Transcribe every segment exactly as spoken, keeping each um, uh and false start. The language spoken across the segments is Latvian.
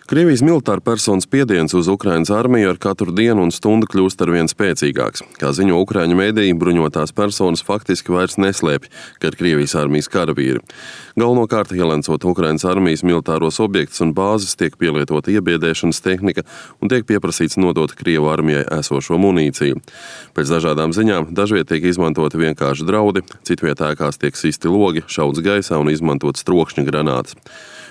Krievijas militāra personu spiediens uz Ukrainas armiju ar katru dienu un stundu kļūst arvien spēcīgāks. Kā ziņo ukraiņu mediji, bruņotās personas faktiski vairs neslēpj, ka ir Krievijas armijas karavīri. Galvenokārt ielencot Ukrainas armijas militāros objektus un bāzes, tiek pielietota iebiedēšanas tehnika un tiek pieprasīts nodot Krievu armijai esošo munīciju. Pēc dažādām ziņām dažviet tiek izmantoti vienkārši draudi, citviet ēkās tiek sisti logi, šauts gaisā un izmantot strokšņa granātas.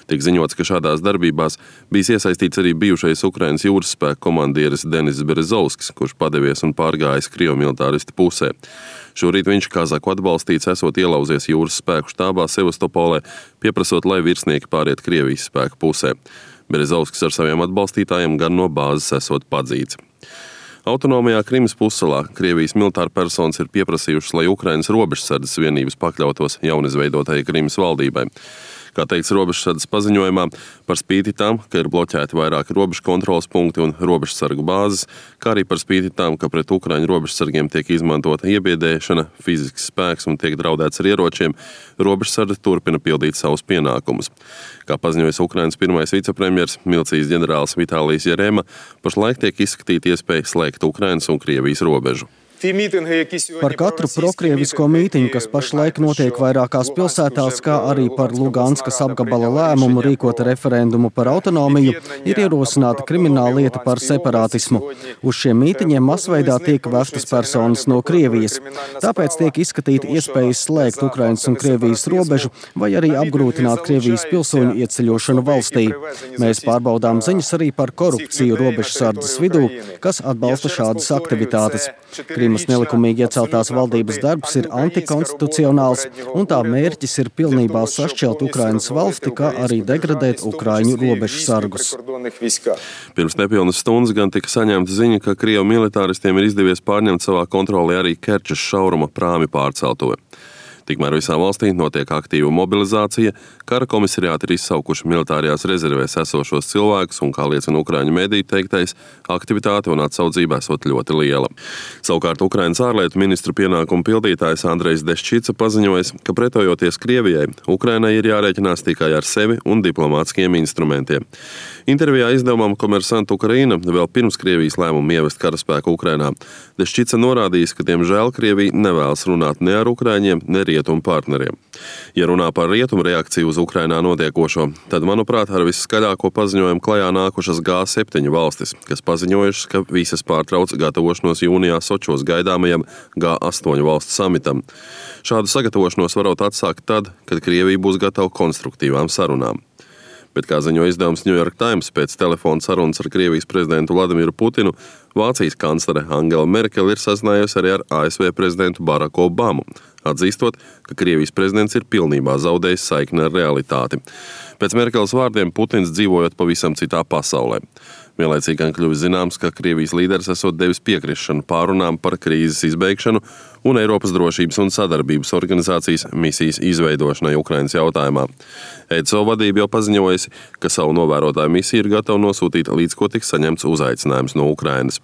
Tiek ziņots, ka šādās darbībās bijis iesaistīts arī bijušais Ukrainas jūras spēku komandieris Denis Berezovskis, kurš padevies un pārgājis Krievu militāristu pusē. Šorīt viņš kazaku atbalstīts esot ielauzies jūras spēku štābā Sevastopolē, pieprasot, lai virsnieki pāriet Krievijas spēku pusē. Berezovskis ar saviem atbalstītājiem gan no bāzes esot padzīts. Autonomajā Krimas pussalā Krievijas militāra personas ir pieprasījušas, lai Ukrainas robežsardzes vienības pakļautos jaunizveidotajai Krimas valdībai. Kā teikts robežsardzes paziņojumā, par spīti tam, ka ir bloķēti vairāki robežu kontroles punkti un robežsargu bāzes, kā arī par spīti tam, ka pret ukraiņu robežsargiem tiek izmantota iebiedēšana, fizisks spēks un tiek draudēts ar ieročiem, robežsardze turpina pildīt savus pienākumus. Kā paziņojas Ukrainas pirmais vicepremjers, milicijas ģenerālis Vitālijs Jerema, pašlaik tiek izskatīta iespēja slēgt Ukrainas un Krievijas robežu. Par katru prokrievisko mītiņu, kas pašlaik notiek vairākās pilsētās, kā arī par Luganskas apgabala lēmumu rīkot referendumu par autonomiju, ir ierosināta krimināla lieta par separātismu. Uz šiem mītiņiem masveidā tiek vestas personas no Krievijas. Tāpēc tiek izskatīta iespējas slēgt Ukrainas un Krievijas robežu vai arī apgrūtināt Krievijas pilsoņu ieceļošanu valstī. Mēs pārbaudām ziņas arī par korupciju robežsardzes vidū, kas atbalsta šādas aktivitātes. Krimas nelikumīgi ieceltās valdības darbs ir antikonstitucionāls, un tā mērķis ir pilnībā sašķelt Ukrainas valsti, kā arī degradēt ukraiņu robežsargus. Pirms nepilnas stundas gan tika saņemta ziņa, ka Krievu militāristiem ir izdevies pārņemt savā kontrolē arī Kerčes šauruma prāmi pārceltuve. Tikmēr visā valstī notiek aktīva mobilizācija, kara komisariāti ir izsaukuši militārajās rezervēs esošos cilvēkus un, kā liecina ukraiņu mediju teiktais, aktivitāte un atsaudzība esot ļoti liela. Savukārt Ukrainas ārlietu ministra pienākumu pildītājs Andrejs Deščica paziņojas, ka pretojoties Krievijai, Ukrainai ir jārēķinās tikai ar sevi un diplomātiskiem instrumentiem. Intervijā izdevumam Komersant Ukraina vēl pirms Krievijas lēmumu ievest karaspēku Ukrainā Deščica norādījis, ka, diemžēl, Krievija nevēlas runāt ne ar ukraiņiem, ne rietumu partneriem. Ja runā par rietumu reakciju uz Ukrainā notiekošo, tad, manuprāt, ar visskaļāko paziņojumu klajā nākušas G septiņi valstis, kas paziņojušas, ka visas pārtrauc gatavošanos jūnijā Sočos gaidāmajam G astoņu valstu samitam. Šādu sagatavošanos varot atsākt tad, kad Krievija būs gatava konstruktīvām sarunām. Bet, kā ziņo izdevums New York Times, pēc telefona sarunas ar Krievijas prezidentu Vladimiru Putinu, Vācijas kanclere Angela Merkele ir sazinājusi arī ar A S V prezidentu Baraku Obamu, atzīstot, ka Krievijas prezidents ir pilnībā zaudējis saikni ar realitāti. Pēc Merkeles vārdiem Putins dzīvojot pavisam citā pasaulē. Vienlaicīgi gan kļuvis zināms, ka Krievijas līderis esot devis piekrišanu pārunām par krīzes izbeigšanu un Eiropas drošības un sadarbības organizācijas misijas izveidošanai Ukrainas jautājumā. E D S O vadība jau paziņojusi, ka savu novērotāju misiju ir gatava nosūtīt, līdz ko tiks saņemts uzaicinājums no Ukrainas.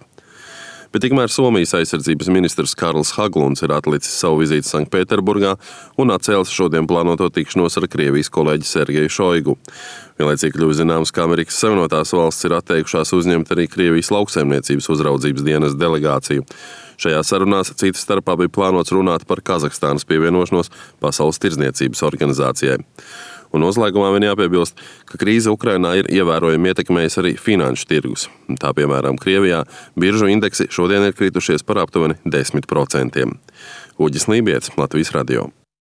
Bet tikmēr Somijas aizsardzības ministrs Karls Haglunds ir atlicis savu vizīti Sanktpēterburgā un atcēlis šodien plānoto tikšanos ar Krievijas kolēģi Sergeju Šoigu. Vienlaicīgi kļuvis zināms, ka Amerikas Savienotās valstis ir atteikušās uzņemt arī Krievijas lauksaimniecības uzraudzības dienas delegāciju. Šajā sarunās citas starpā bija plānots runāt par Kazahstānas pievienošanos Pasaules tirdzniecības organizācijai. Un noslēgumā vien jāpiebilst, ka krīze Ukrainā ir ievērojami ietekmējusi arī finanšu tirgus. Tā, piemēram, Krievijā biržu indeksi šodien ir kritušies par aptuveni desmit procentiem. Uģis Lībietis, Latvijas radio.